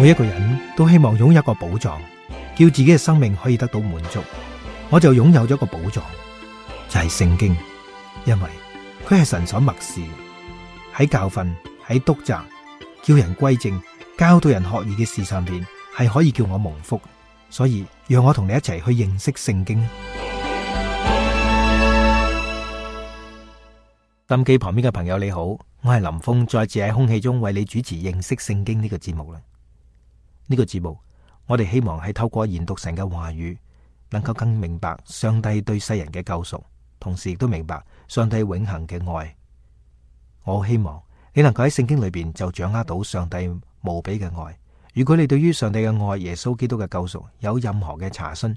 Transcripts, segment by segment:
每一個人都希望擁有一個寶藏，叫自己嘅生命可以得到滿足。我就擁有咗一個寶藏，就係聖經，因為佢係神所默示，喺教訓、喺督責、叫人歸正、教導人學義嘅事上邊，係可以叫我蒙福。所以讓我同你一齊去認識聖經。心機旁邊嘅朋友你好，我係林峰，再次喺空氣中為你主持認識聖經呢個節目啦。呢個節目我哋希望係透過研讀神嘅話語，能夠更明白上帝對世人嘅救贖，同時亦都明白上帝永恆嘅愛。我好希望你能夠喺聖經裏邊就掌握到上帝無比嘅愛。如果你對於上帝嘅愛、耶穌基督嘅救贖有任何嘅查詢，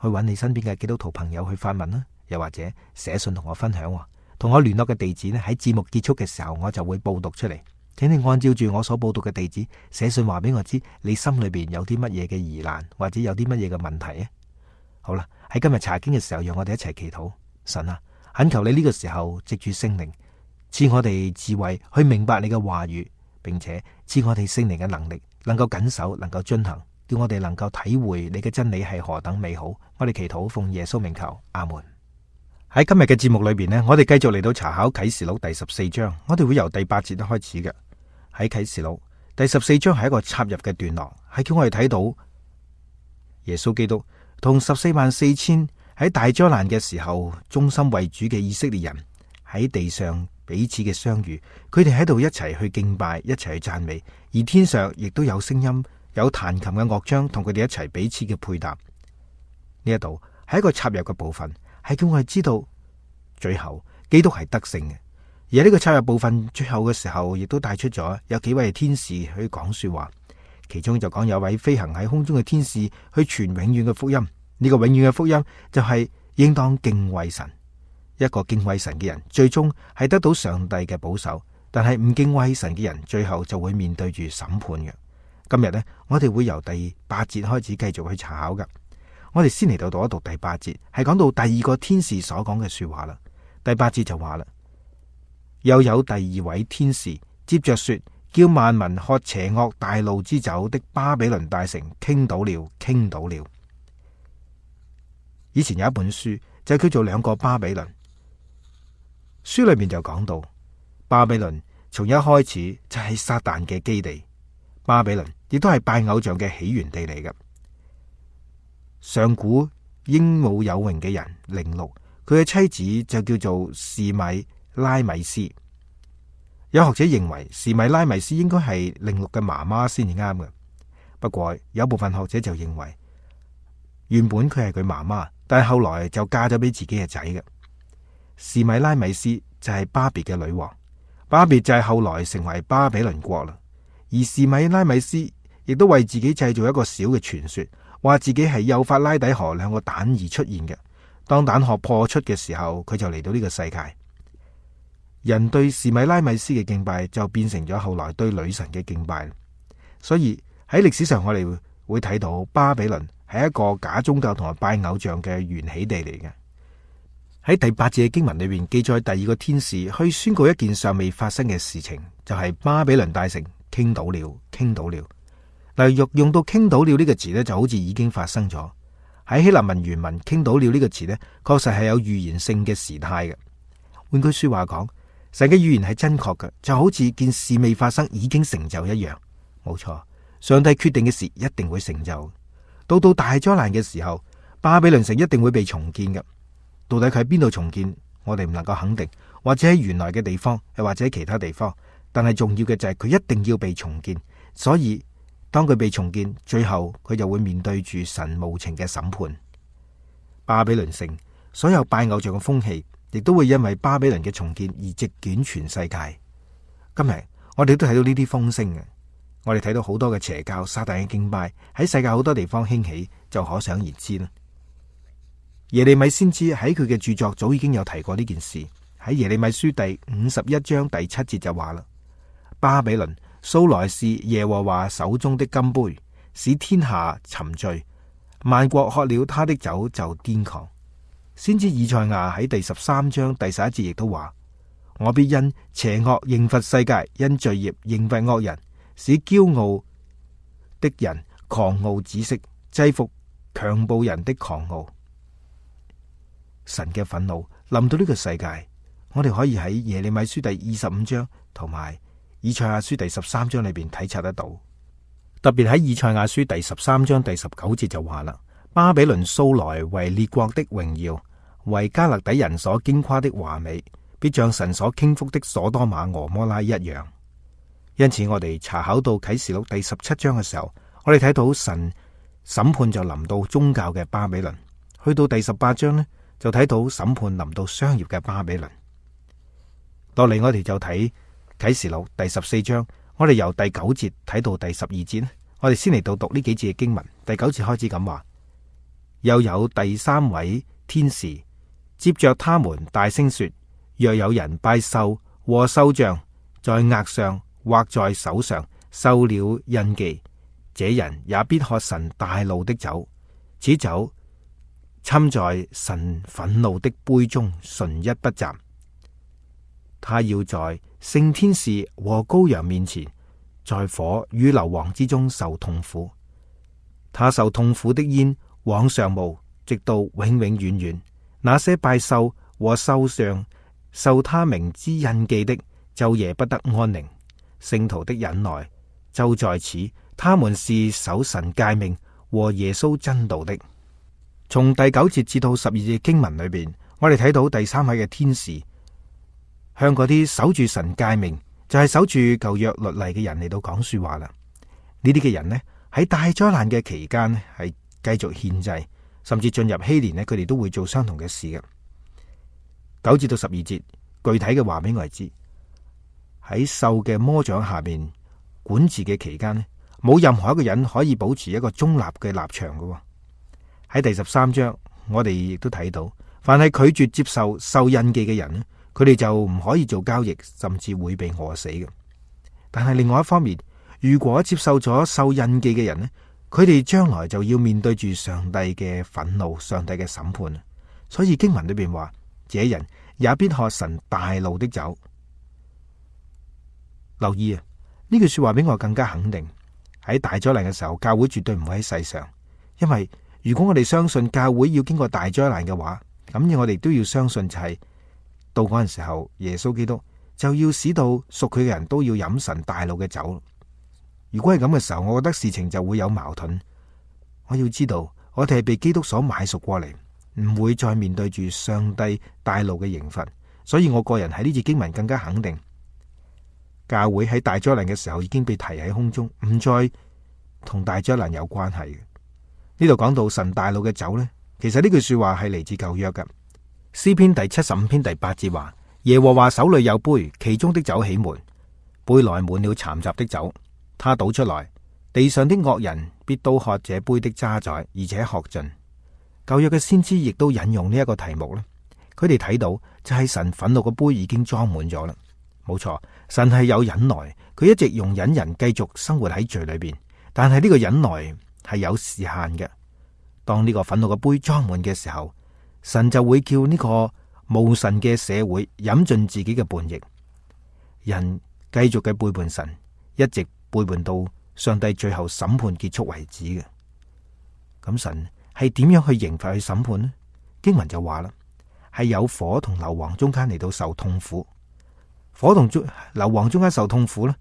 去揾你身邊嘅基督徒朋友去發問啦，又或者寫信同我分享，同我聯絡嘅地址呢，喺節目結束嘅時候我就會報讀出嚟，請你按照住我所報讀嘅地址寫信話俾我知你心裏邊有啲乜嘢嘅疑難，或者有啲乜嘢嘅問題啊。好啦，喺今日查經嘅時候，讓我哋一齊祈禱。神啊，懇求你呢個時候藉住聖靈賜我哋智慧去明白你嘅話語，並且賜我哋聖靈嘅能力，能夠謹守，能夠遵行，叫我哋能夠體會你嘅真理係何等美好。我哋祈禱奉耶穌名求，阿門。喺今日嘅節目裏邊呢，我哋繼續嚟到查考啟示錄第14章，我哋會由第8節開始嘅。喺啟示錄第14章係一個插入嘅段落，係叫我哋睇到耶穌基督同144000喺大災難嘅時候忠心為主嘅以色列人喺地上彼此嘅相遇，佢哋喺度一齊去敬拜，一齊去讚美，而天上亦都有聲音，有彈琴嘅樂章同佢哋一齊彼此嘅配搭。呢一度係一個插入嘅部分，係叫我哋知道最後基督係得勝嘅。而呢個插入部分最後嘅時候，亦都帶出咗有幾位天使去講說話，其中就講有位飛行喺空中嘅天使去傳永遠嘅福音。呢個永遠嘅福音就係應當敬畏神。一個敬畏神嘅人最終係得到上帝嘅保守，但係唔敬畏神嘅人最後就會面對住審判嘅。今日呢，我哋會由第8節開始繼續去查考噶。我哋先嚟到讀一讀第8節，係講到第二個天使所講嘅說話啦。第8節就話啦，又有第二位天使接着說，叫萬民喝邪惡大怒之酒的巴比倫大城傾倒了，傾倒了。以前有一本書就叫做《兩個巴比倫》，書裏面就講到巴比倫從一開始就係撒旦嘅基地，巴比倫亦都係拜偶像嘅起源地嚟嘅。上古英武有榮嘅人寧錄，佢嘅妻子就叫做示米拉米斯。有學者認為示米拉米斯應該係寧錄嘅媽媽先至啱嘅，不過有部分學者就認為原本佢係佢媽媽，但係後來就嫁咗俾自己嘅仔嘅。示米拉米斯就係巴別嘅女王，巴別就係後來成為巴比倫國啦。而示米拉米斯亦都為自己製造一個小嘅傳說，話自己係幼發拉底河兩個蛋而出現嘅。當蛋殼破出嘅時候，佢就嚟到呢個世界。人對示米拉米斯嘅敬拜就變成咗後來對女神嘅敬拜。所以喺歷史上我哋會睇到巴比倫係一個假宗教同埋拜偶像嘅源起地嚟嘅。喺第8節嘅經文裏面記載，第二個天使去宣告一件尚未發生嘅事情，就係巴比倫大城傾倒了，傾倒了。嗱，用到傾倒了呢個詞呢，就好似已經發生咗。喺希臘文原文傾倒了呢個詞呢，確實係有預言性嘅時態嘅。換句說話講，神嘅預言係真確嘅，就好似件事未發生已經成就一樣。冇錯，上帝決定嘅事一定會成就。到大災難嘅時候，巴比倫城一定會被重建嘅。到底佢喺邊度重建，我哋唔能夠肯定，或者喺原來嘅地方，又或者其他地方。但係重要嘅就係佢一定要被重建。所以當佢被重建，最後佢就會面對住神無情嘅審判。巴比倫城所有拜偶像嘅風氣，亦都會因為巴比倫嘅重建而席捲全世界。今日我哋都睇到呢啲風聲嘅，我哋睇到好多嘅邪教、撒旦嘅敬拜喺世界好多地方興起，就可想而知啦。耶利米先知喺佢嘅著作早已經有提過呢件事。喺耶利米書第51章第7節就話啦，巴比倫素來是耶和華手中的金杯，使天下沉醉，萬國喝了他的酒就癲狂。先知以賽亞喺第13章第11節亦都話，我必因邪惡刑罰世界，因罪孽刑罰惡人，使驕傲的人狂傲止息，制服強暴人的狂傲。神嘅憤怒臨到呢個世界，我哋可以喺耶利米書第25章同埋以賽亞書第13章裏邊體察得到。特別喺以賽亞書第13章第19節就話啦：巴比倫素來為列國的榮耀，為加勒底人所矜誇的華美，必像神所傾覆的所多瑪俄摩拉一樣。因此我哋查考到啟示錄第17章嘅時候，我哋睇到神審判就臨到宗教嘅巴比倫。去到第18章呢，就睇到審判臨到商業嘅巴比倫。落嚟我哋就睇啟示錄第14章，我哋由第9節睇到第12節。我哋先嚟到讀呢幾節嘅經文。第9節開始咁話：又有第3位天使接着他們大聲說，若有人拜獸和獸像，在額上或在手上受了印記，這人也必喝神大怒的酒，此酒摻在神憤怒的杯中，純一不雜。他要在聖天使和羔羊面前，在火與硫磺之中受痛苦。他受痛苦的煙往上冒，直到永永遠遠。那些拜獸和獸像受他名之印記的，晝夜不得安寧。聖徒的忍耐就在此，他們是守神誡命和耶穌真道的。從第9節至到12節經文裏邊，我哋睇到第3位嘅天使向嗰啲守住神誡命，就係守住舊約律例嘅人嚟到講說話啦。呢啲嘅人呢，喺大災難嘅期間呢，係繼續獻祭，甚至進入禧年呢，佢哋都會做相同嘅事嘅。9至到12節具體嘅話俾我哋知，喺獸嘅魔掌下面管治嘅期間呢，冇任何一個人可以保持一個中立嘅立場嘅。喺第13章，我哋亦都睇到，凡係拒絕接受受印記嘅人呢，佢哋就唔可以做交易，甚至會被餓死嘅。但係另外一方面，如果接受咗受印記嘅人呢，佢哋將來就要面對住上帝嘅憤怒、上帝嘅審判。所以經文裏邊話，這人也必喝神大怒的酒。留意啊，呢句說話俾我更加肯定，喺大災難嘅時候，教會絕對唔會喺世上。因為如果我哋相信教會要經過大災難嘅話，咁我哋都要相信就係到嗰陣時候，耶穌基督就要使到屬佢嘅人都要飲神大怒嘅酒。如果係咁嘅時候，我覺得事情就會有矛盾。我要知道，我哋係被基督所買贖過嚟，唔會再面對住上帝大怒嘅刑罰。所以我個人喺呢節經文更加肯定，教會喺大災難嘅時候已經被提喺空中，唔再同大災難有關係嘅。呢度講到神大怒嘅酒呢，其實呢句說話係嚟自舊約嘅。詩篇第75篇第8節話：耶和華手裏有杯，其中的酒起門，杯內滿了攙雜的酒，他倒出來，地上的惡人必都喝這杯的渣滓，而且喝盡。舊約嘅先知亦都引用呢一個題目咧，佢哋睇到就係神憤怒嘅杯已經裝滿咗啦。冇錯，神係有忍耐，佢一直容忍人繼續生活喺罪裏邊，但係呢個忍耐係有時限嘅。當呢個憤怒嘅杯裝滿嘅時候，神就會叫呢個無神嘅社會飲盡自己嘅叛逆，人繼續嘅背叛神，一直背叛到上帝最後審判結束為止嘅。咁神係點樣去刑罰去審判呢？經文就話啦，係有火同硫磺中間嚟到受痛苦。火同硫磺中間受痛苦呢？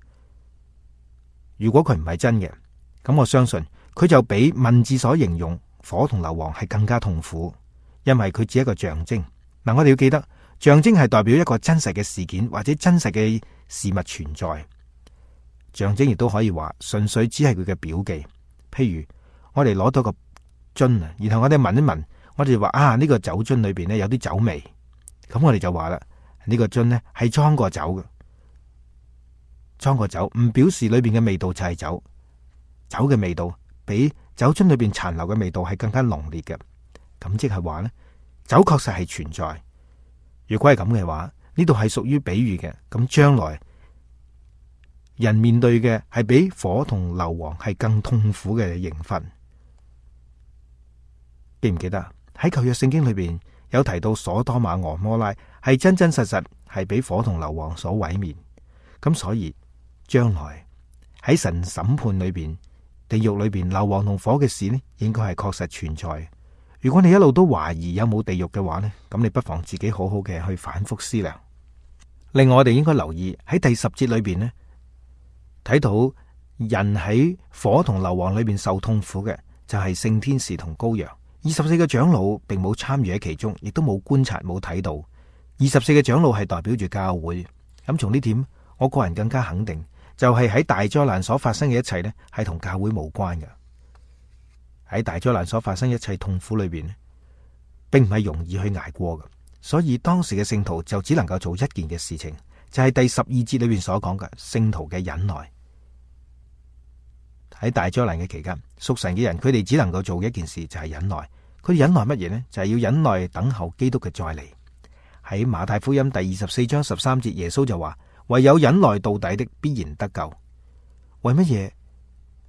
如果佢唔係真嘅，咁我相信佢就比文字所形容火同硫磺係更加痛苦，因為佢只係一個象徵。嗱，我哋要記得，象徵係代表一個真實嘅事件或者真實嘅事物存在。象徵亦都可以話純粹只係佢嘅表記。譬如我哋攞到個樽啊，然後我哋聞一聞，我哋就話啊，呢個酒樽裏邊咧有啲酒味，咁我哋就話啦，呢個樽咧係裝過酒嘅，裝過酒唔表示裏邊嘅味道就係酒，酒嘅味道比酒樽裏邊殘留嘅味道係更加濃烈嘅。咁即係話咧，酒確實係存在。如果係咁嘅話，呢度係屬於比喻嘅。咁將來人面對嘅係比火同硫磺係更痛苦嘅刑罰。記唔記得喺舊約聖經裏邊有提到所多瑪俄摩拉係真真實實係俾火同硫磺所毀滅。咁所以將來喺神審判裏邊地獄裏邊硫磺同火嘅事呢，應該係確實存在。如果你一路都懷疑有冇地獄嘅話呢，咁你不妨自己好好嘅去反覆思量。另外，我哋應該留意喺第10節裏邊呢，睇到人喺火同硫磺裏邊受痛苦嘅就係聖天使同羔羊。24個長老並冇參與喺其中，亦都冇觀察冇睇到。24個長老係代表住教會。咁從呢點，我個人更加肯定，就係喺大災難所發生嘅一切呢，係同教會無關嘅。喺大災難所發生一切痛苦裏邊，並唔係容易去捱過嘅。所以當時嘅聖徒就只能夠做一件嘅事情，就係第12節裏邊所講嘅聖徒嘅忍耐。喺大災難嘅期間，屬神嘅人佢哋只能夠做一件事，就係忍耐。佢哋忍耐乜嘢呢？就係要忍耐等候基督嘅再嚟。喺馬太福音第24章13節，耶穌就話：唯有忍耐到底的，必然得救。為乜嘢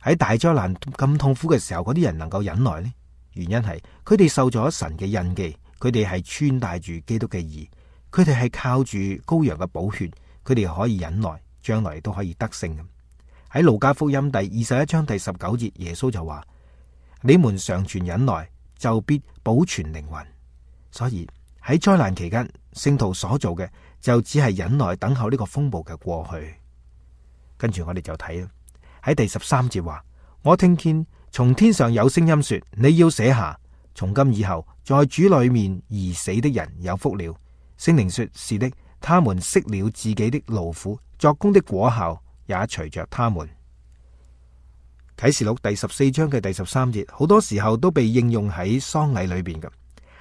喺大災難咁痛苦嘅時候，嗰啲人能夠忍耐呢？原因係佢哋受咗神嘅印記，佢哋係穿戴住基督嘅義，佢哋係靠住羔羊嘅寶血，佢哋可以忍耐，將來都可以得勝嘅。喺路加福音第21章第19節，耶穌就話：你們常存忍耐，就必保存靈魂。所以喺災難期間，聖徒所做嘅就只係忍耐等候呢個風暴嘅過去。跟住我哋就睇啦，喺第13節話：我聽見從天上有聲音說，你要寫下，從今以後在主裏面而死的人有福了。聖靈說：是的，他們息了自己的勞苦，作工的果效也隨着他們。啟示錄第14章嘅第13節，好多時候都被應用喺喪禮裏邊嘅，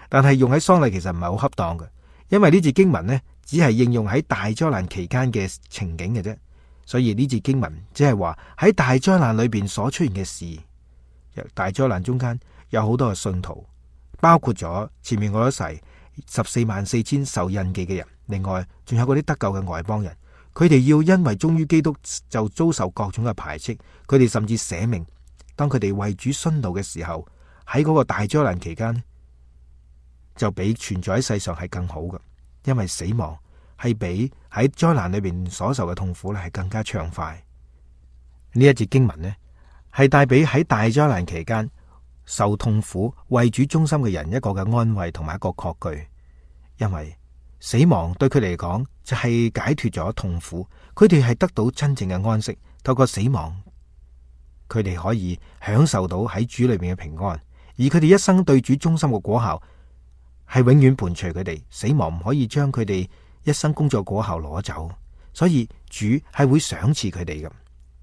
但係用喺喪禮其實唔係好恰當嘅，因為呢節經文呢，只係應用喺大災難期間嘅情景嘅啫，所以呢節經文只係話喺大災難裏邊所出現嘅事。大災難中間有好多嘅信徒，包括咗前面我所提144000受印記嘅人，另外仲有嗰啲得救嘅外邦人。佢哋要因為忠於基督就遭受各種嘅排斥，佢哋甚至捨命。當佢哋為主殉道嘅時候，喺嗰個大災難期間，就比存在喺世上係更好嘅，因為死亡係比喺災難裏邊所受嘅痛苦咧係更加暢快。呢一節經文呢，係帶俾喺大災難期間受痛苦為主忠心嘅人一個嘅安慰同埋一個確據，因為死亡對佢哋嚟講就係解脫咗痛苦，佢哋係得到真正嘅安息。透過死亡，佢哋可以享受到喺主裏面嘅平安，而佢哋一生對主忠心嘅果效係永遠伴隨佢哋。死亡唔可以將佢哋一生工作果效攞走，所以主係會賞賜佢哋嘅。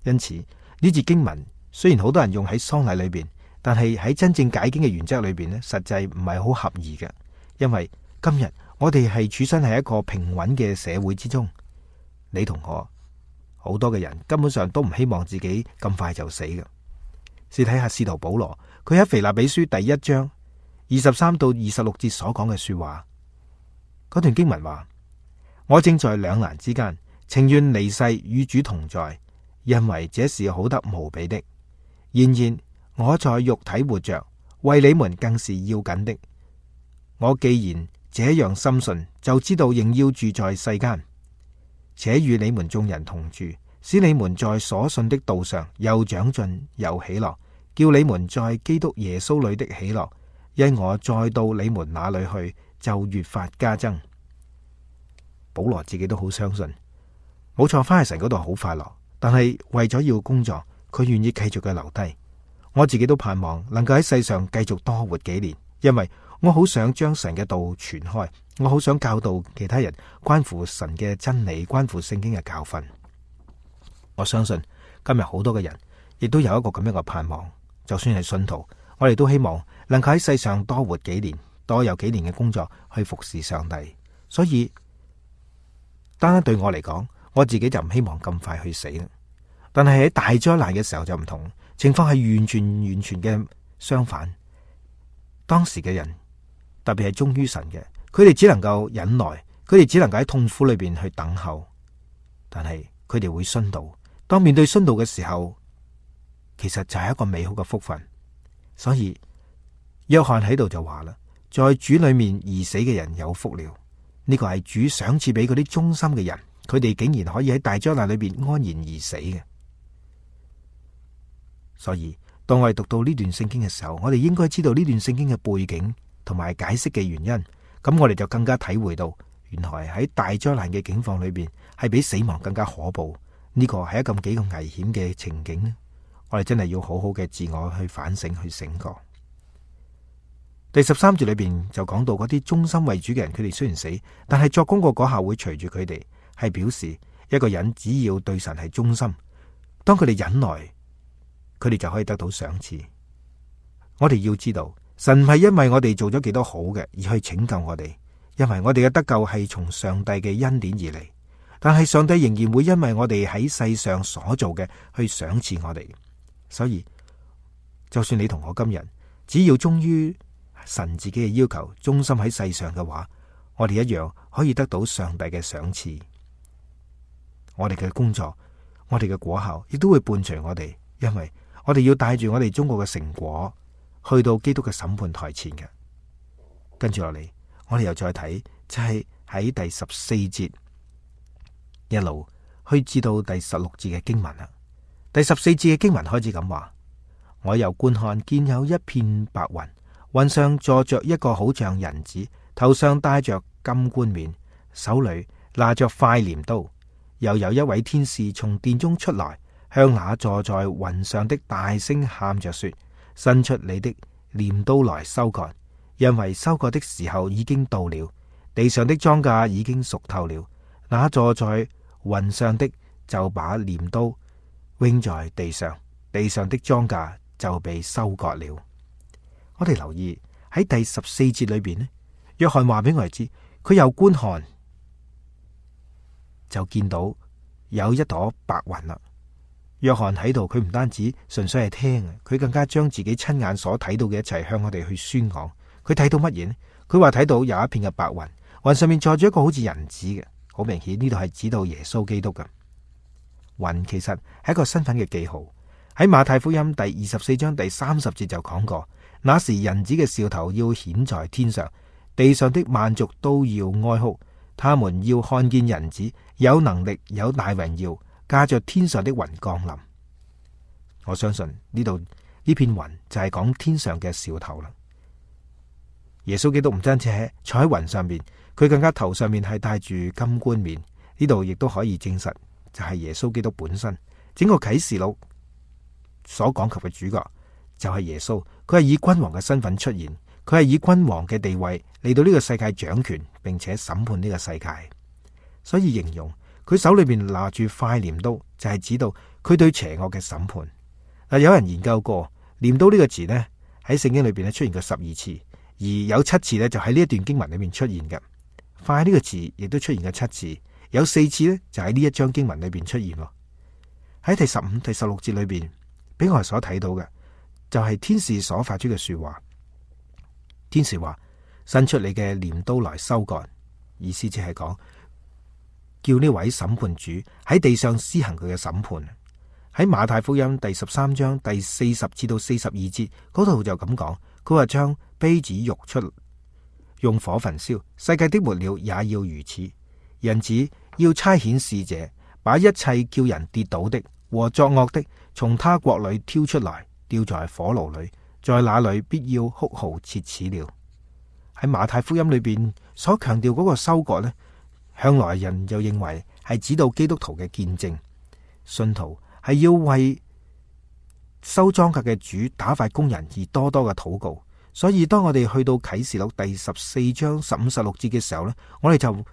因此呢節經文雖然好多人用喺喪禮裏邊，但係喺真正解經嘅原則裏邊呢，實際唔係好合宜嘅。因為今日我哋係處身喺一個平穩嘅社會之中，你同我好多嘅人根本上都唔希望自己咁快就死嘅。試睇下使徒保羅，佢喺腓立比書第1章23到26節所講嘅說話。嗰段經文話：我正在兩難之間，情願離世與主同在，因為這是好得無比的。然而我在肉體活着，為你們更是要緊的。我既然這樣深信，就知道仍要住在世間，且與你們眾人同住，使你們在所信的道上又長進又喜樂，叫你們在基督耶穌裏的喜樂，因我再到你們那裏去，就越發加增。保羅自己都好相信，冇錯，翻去神嗰度好快樂，但係為咗要工作，佢願意繼續嘅留低。我自己都盼望能夠喺世上繼續多活幾年，因為我好想將神嘅道傳開，我好想教導其他人關乎神嘅真理，關乎聖經嘅教訓。我相信今日好多嘅人亦都有一個咁樣嘅盼望，就算係信徒，我哋都希望能夠喺世上多活幾年，多有幾年嘅工作去服侍上帝。所以單單對我嚟講，我自己就唔希望咁快去死啦。但係喺大災難嘅時候就唔同，情況係完全嘅相反。當時嘅人，特別係忠於神嘅，佢哋只能夠忍耐，佢哋只能夠喺痛苦裏邊去等候。但係佢哋會殉道，當面對殉道嘅時候，其實就係一個美好嘅福分。所以約翰喺度就話啦，在主裏面而死嘅人有福了。呢個係主賞賜俾嗰啲忠心嘅人，佢哋竟然可以喺大災難裏邊安然而死嘅。所以當我哋讀到呢段聖經嘅時候，我哋應該知道呢段聖經嘅背景同埋解釋嘅原因，咁我哋就更加體會到，原來喺大災難嘅境況裏邊，係比死亡更加可怖。呢個係一咁幾個危險嘅情景呢，我哋真係要好好嘅自我去反省，去醒覺。第13節裏邊就講到嗰啲忠心為主嘅人，佢哋雖然死，但係作工個果效會隨住佢哋，係表示一個人只要對神係忠心，當佢哋忍耐，佢哋就可以得到賞賜。我哋要知道，神唔係因為我哋做咗幾多好嘅而去拯救我哋，因為我哋嘅得救係從上帝嘅恩典而嚟。但係上帝仍然會因為我哋喺世上所做嘅去賞賜我哋。所以就算你同我今日只要忠於神自己嘅要求，忠心喺世上嘅話，我哋一樣可以得到上帝嘅賞賜。我哋嘅工作，我哋嘅果效亦都會伴隨我哋，因為我哋要帶住我哋中國嘅成果去到基督嘅審判台前嘅。跟住落嚟，我哋又再睇，就係喺第14節一路去至到第16節嘅經文啦。第14節嘅經文開始咁話：我又觀看，見有一片白雲，雲上坐着一個好像人子，頭上戴着金冠冕，手裏拿着快鐮刀。又有一位天使從殿中出來，向那坐在雲上的大聲喊着說：伸出你的鐮刀來收割，因為收割的時候已經到了，地上的莊稼已經熟透了。那坐在雲上的就把鐮刀扔在地上，地上的莊稼就被收割了。我哋留意喺第14節裏邊呢，約翰話俾我哋知，佢又觀看，就見到有一朵白雲啦。約翰喺度，佢唔單止純粹係聽，佢更加將自己親眼所睇到嘅一切向我哋去宣講。佢睇到乜嘢呢？佢話睇到有一片嘅白雲，雲上面坐住一個好似人子嘅，好明顯呢度係指到耶穌基督嘅。雲其實係一個身份嘅記號。喺馬太福音第24章第30節就講過，那時人子嘅兆頭要顯在天上，地上的萬族都要哀哭，他們要看見人子有能力有大榮耀，駕着天上的雲降臨。我相信呢度呢片雲就係講天上嘅兆頭啦。耶穌基督唔單止係坐喺雲上面，佢更加頭上面係戴住金冠冕。呢度亦都可以證實就係耶穌基督本身。整個啟示錄所講及嘅主角就係耶穌，佢係以君王嘅身份出現，佢係以君王嘅地位嚟到呢個世界掌權，並且審判呢個世界。所以形容佢手裏邊拿住快鐮刀，就係指到佢對邪惡嘅審判。嗱，有人研究過鐮刀呢個字呢，喺聖經裏邊咧出現過12次，而有7次呢就喺呢一段經文裏面出現嘅。快呢個字亦都出現過7次，有4次呢就喺呢一章經文裏邊出現。喺第15、第16節裏邊，俾我哋所睇到嘅就係天使所發出嘅說話。天使話：伸出你嘅鐮刀來收割，意思即係講叫呢位審判主喺地上施行佢嘅審判。喺馬太福音第13章第40至到42節嗰度就咁講，佢話將稗子育出，用火焚燒，世界的末了也要如此。人子要差遣使者，把一切叫人跌倒的和作惡的從他國裏挑出來，掉在火爐裏，在那裏必要哭號切齒了。喺馬太福音裏邊所強調嗰個收割呢，向來人就認為係指到基督徒嘅見證，信徒係要為收莊稼嘅主打發工人而多多嘅禱告。所以當我哋去到啟示錄第14章15、16節嘅時候呢，我哋就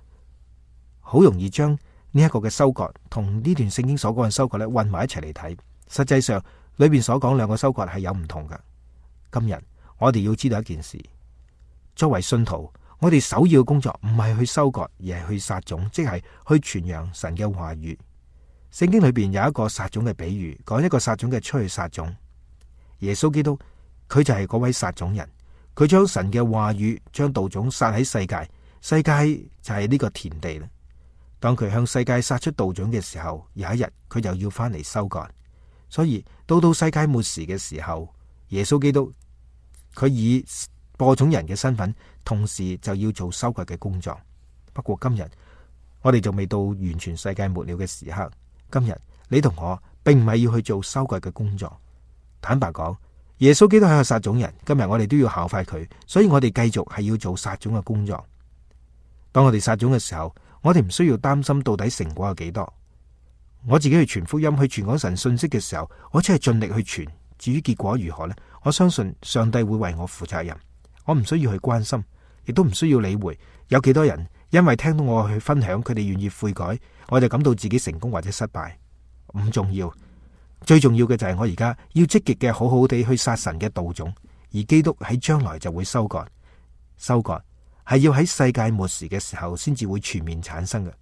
好容易將呢一個嘅收割同呢段聖經所講嘅收割咧混埋一齊嚟睇。實際上裏邊所講兩個收割係有唔同嘅。今日我哋要知道一件事，作為信徒，我哋首要嘅工作唔係去收割，而係去撒種，即係去傳揚神嘅話語。聖經裏邊有一個撒種嘅比喻，講一個撒種嘅出去撒種。耶穌基督佢就係嗰位撒種人，佢將神嘅話語，將道種撒喺世界，世界就係呢個田地啦。當佢向世界撒出道種嘅時候，有一日佢就要翻嚟收割。所以到世界末時嘅時候，耶穌基督佢以播種人嘅身份，同時就要做收割嘅工作。不過今日我哋就未到完全世界末了嘅時刻。今日你同我並唔係要去做收割嘅工作，坦白講，耶穌基督係個撒種人，今日我哋都要效法佢，所以我哋繼續係要做撒種嘅工作。當我哋撒種嘅時候，我哋唔需要擔心到底成果有幾多。我自己去傳福音、去傳講神信息嘅時候，我只係盡力去傳。至於結果如何呢？我相信上帝會為我負責任。我唔需要去關心，亦都唔需要理會有幾多人因為聽到我去分享，佢哋願意悔改，我就感到自己成功或者失敗。唔重要，最重要嘅就係我而家要積極嘅好好地去撒神嘅道種，而基督喺將來就會收割。收割係要喺世界末時嘅時候先至會全面產生嘅。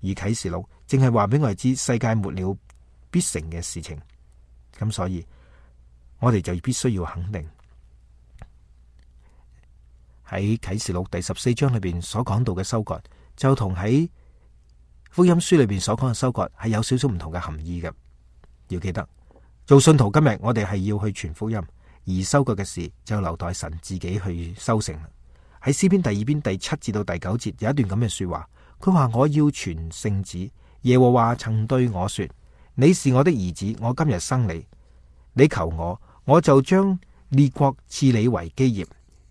而啟示錄正係話俾我哋知世界末了必成嘅事情。咁所以我哋就必須要肯定喺啟示錄第14章裏邊所講到嘅收割，就同喺福音書裏邊所講嘅收割係有少少唔同嘅含義嘅。要記得做信徒，今日我哋係要去傳福音，而收割嘅事就留待神自己去收成。喺詩篇第2篇第7至到第9節有一段咁嘅說話，佢話：我要傳聖旨，耶和華曾對我說，你是我的兒子，我今日生你。你求我，我就將列國賜你為基業，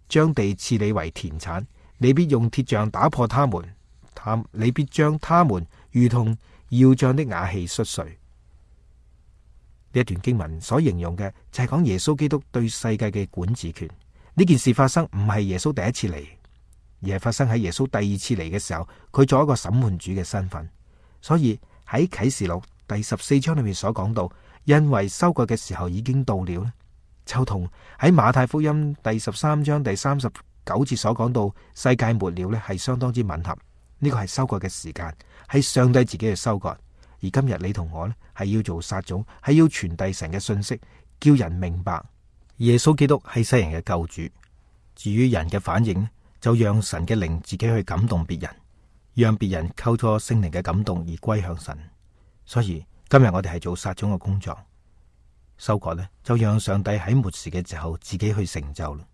將地賜你為田產。你必用鐵杖打破他們，你必將他們如同窯匠的瓦器摔碎。呢一段經文所形容嘅就係講耶穌基督對世界嘅管治權。呢件事發生唔係耶穌第一次嚟，而係發生喺耶穌第2次嚟嘅時候，佢做一個審判主嘅身份。所以喺啟示錄第14章裏面所講到，因為收割嘅時候已經到了，就同喺馬太福音第13章第39節所講到世界末了呢係相當之吻合。呢個係收割嘅時間，係上帝自己去收割。而今日你同我呢係要做撒種，係要傳遞神嘅信息，叫人明白耶穌基督係世人嘅救主。至於人嘅反應，就讓神嘅靈自己去感動別人，讓別人扣咗聖靈嘅感動而歸向神。所以今日我哋係做撒種嘅工作，收割呢就讓上帝喺末時嘅時候自己去成就啦。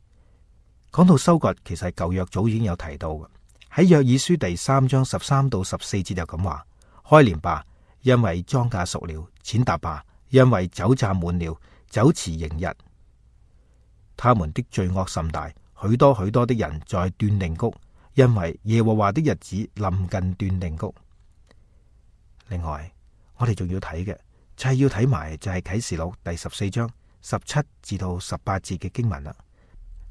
講到收割，其實舊約早已經有提到嘅，喺約珥書第3章13到14節就咁話：開鐮吧，因為莊稼熟了；踐踏吧，因為酒榨滿了，酒池盈溢。他們的罪惡甚大，許多許多的人在斷定谷，因為耶和華的日子臨近斷定谷。另外，我哋仲要睇嘅就係要睇埋就係啟示錄第14章17至到18節嘅經文啦。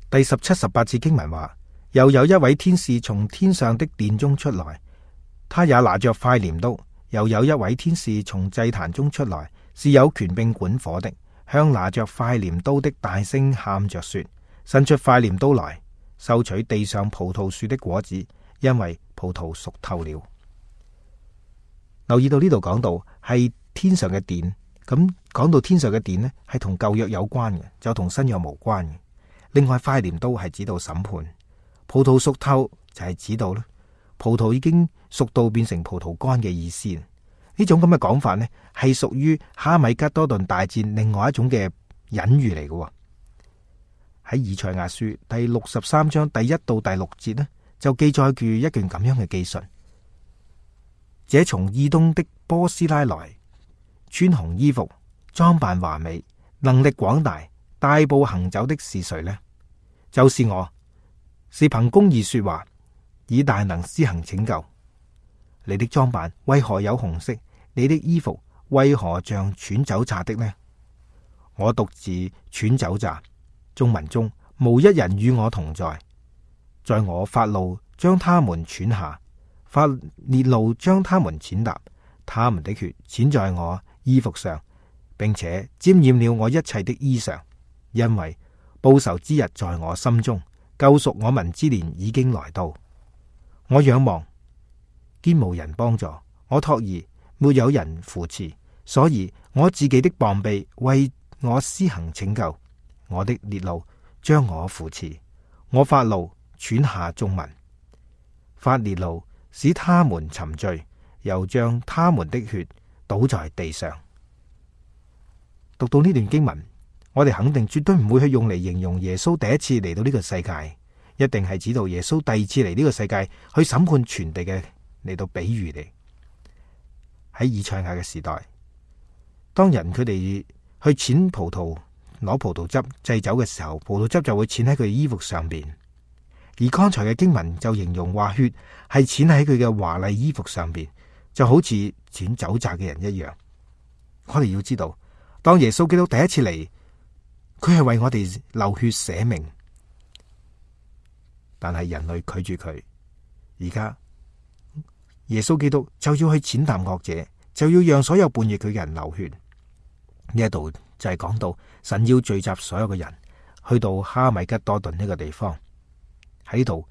第17、18節經文話：又有一位天使從天上的殿中出來，他也拿着快鐮刀；又有一位天使從祭壇中出來，是有權柄管火的，向拿着快鐮刀的大聲喊着說：伸出快鐮刀來，收取地上葡萄樹的果子，因為葡萄熟透了。留意到呢度講到係天上嘅殿，咁講到天上嘅殿呢，係同舊約有關嘅，就同新約無關嘅。另外，快鐮刀係指到審判，葡萄熟透就係指到咧葡萄已經熟到變成葡萄乾嘅意思。呢種咁嘅講法呢，係屬於哈米吉多頓大戰另外一種嘅隱喻嚟嘅。喺以賽亞書第63章第1到第6節呢，就記載住一段咁樣嘅記述：這從以東的波斯拉來，穿紅衣服，裝扮華美，能力廣大，大步行走的是誰呢？就是我，是憑公義說話，以大能施行拯救。你的裝扮為何有紅色？你的衣服為何像踹酒醡的呢？我獨自踹酒醡，眾民中無一人與我同在。在我發怒將他們踹下，發烈怒將他們踐踏，他們的血濺在我衣服上，並且沾染了我一切的衣裳。因為報仇之日在我心中，救贖我民之年已經來到。我仰望，堅無人幫助；我託兒，沒有人扶持。所以我自己的膀臂為我施行拯救，我的烈怒將我扶持。我發怒踹下眾民，發烈怒使他們沉醉，又將他們的血倒在地上。讀到呢段經文，我哋肯定絕對唔會去用嚟形容耶穌第一次嚟到呢個世界，一定係指到耶穌第二次嚟呢個世界去審判全地嘅嚟到比喻嚟。喺以賽亞嘅時代，當人佢哋去踐葡萄攞葡萄汁祭酒嘅時候，葡萄汁就會濺喺佢衣服上邊。而剛才嘅經文就形容話血係濺喺佢嘅華麗衣服上邊，就好似濺酒醡嘅人一樣。我哋要知道，當耶穌基督第一次嚟，佢係為我哋流血捨命，但係人類拒絕佢。而家耶穌基督就要去踐踏惡者，就要讓所有叛逆佢嘅人流血。呢一度就係講到神要聚集所有嘅人去到哈米吉多頓呢個地方，喺度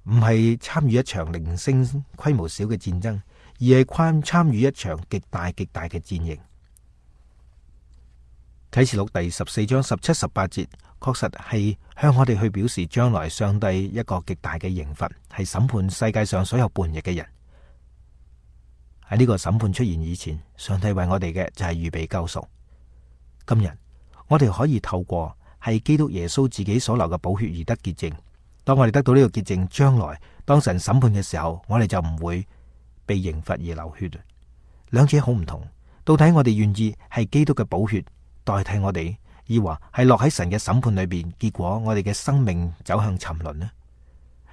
唔係參與一場零星規模小嘅戰爭，而係參與一場極大極大嘅戰役。啟示錄第14章17、18節確實係向我哋去表示將來上帝一個極大嘅刑罰，係審判世界上所有叛逆嘅人。喺呢個審判出現以前，上帝為我哋嘅就係預備救贖。今日我哋可以透過係基督耶穌自己所流嘅寶血而得潔淨。當我哋得到呢個潔淨，將來當神審判嘅時候，我哋就唔會被刑罰而流血。兩者好唔同。到底我哋願意係基督嘅寶血代替我哋，抑或係落喺神嘅審判裏邊，結果我哋嘅生命走向沉淪呢？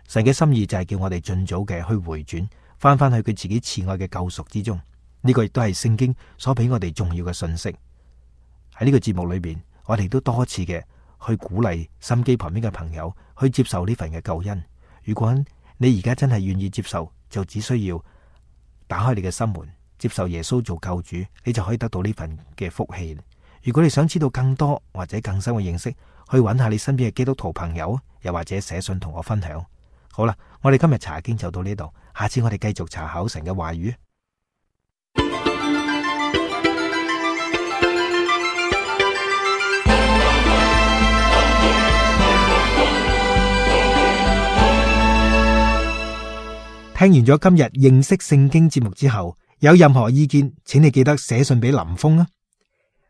神嘅心意就係叫我哋盡早嘅去回轉，翻去佢自己慈愛嘅救贖之中。呢個亦都係聖經所俾我哋重要嘅信息。喺呢個節目裏邊，我哋都多次嘅去鼓勵心機旁邊嘅朋友去接受呢份嘅救恩。如果你而家真係願意接受，就只需要打開你嘅心門，接受耶穌做救主，你就可以得到呢份嘅福氣。如果你想知道更多或者更深嘅認識，去揾下你身邊嘅基督徒朋友，又或者寫信同我分享。好啦，我哋今日查經就到呢度，下次我哋繼續查考神嘅話語。聽完咗今日認識聖經節目之後，有任何意見，請你記得寫信俾林峰啊。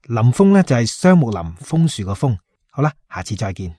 林峰呢就係雙木林楓樹個楓。好啦，下次再見。